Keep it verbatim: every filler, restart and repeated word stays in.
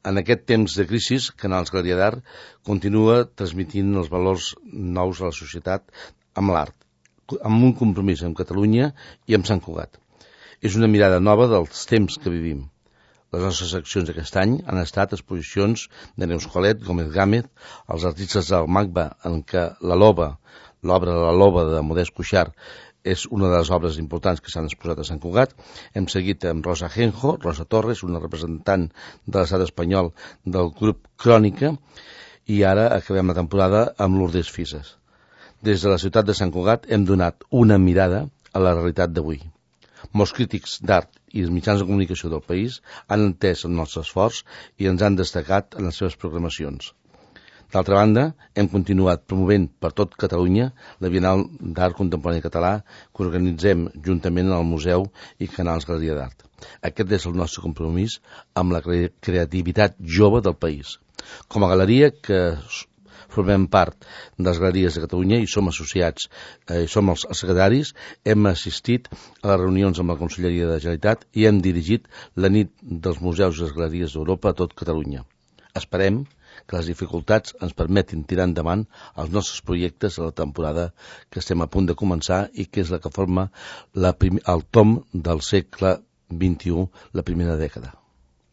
En aquest temps de crisi, Canals Galeria d'Art continua transmitint els valors nous a la societat amb l'art, amb un compromís amb Catalunya i amb Sant Cugat. És una mirada nova dels temps que vivim. Les nostres accions d'aquest any han estat exposicions de Neus Colet, Gómez Gámez, els artistes del MACBA, en què la Loba, l'obra de la Loba de Modest Cuixart, és una de les obres importants que s'han exposat a Sant Cugat. Hem seguit amb Rosa Genjo, Rosa Torres, una representant de l'estat espanyol del grup Crònica, i ara acabem la temporada amb Lourdes Fises. Des de la ciutat de Sant Cugat hem donat una mirada a la realitat d'avui. Molts crítics d'art i els mitjans de comunicació del país han entès el nostre esforç i ens han destacat en les seves programacions. D'altra banda, hem continuat promovent per tot Catalunya la Bienal d'Art Contemporani Català que organitzem juntament al Museu i Canals Galeria d'Art. Aquest és el nostre compromís amb la creativitat jove del país. Com a galeria que formem part de les galeries de Catalunya i som associats, eh, som els secretaris, hem assistit a les reunions amb la Conselleria de la Generalitat i hem dirigit la nit dels museus i les galeries d'Europa a tot Catalunya. Esperem que les dificultats ens permetin tirar endavant els nostres projectes a la temporada que estem a punt de començar i que és la que forma la prim- el tom del segle vint i u, la primera dècada.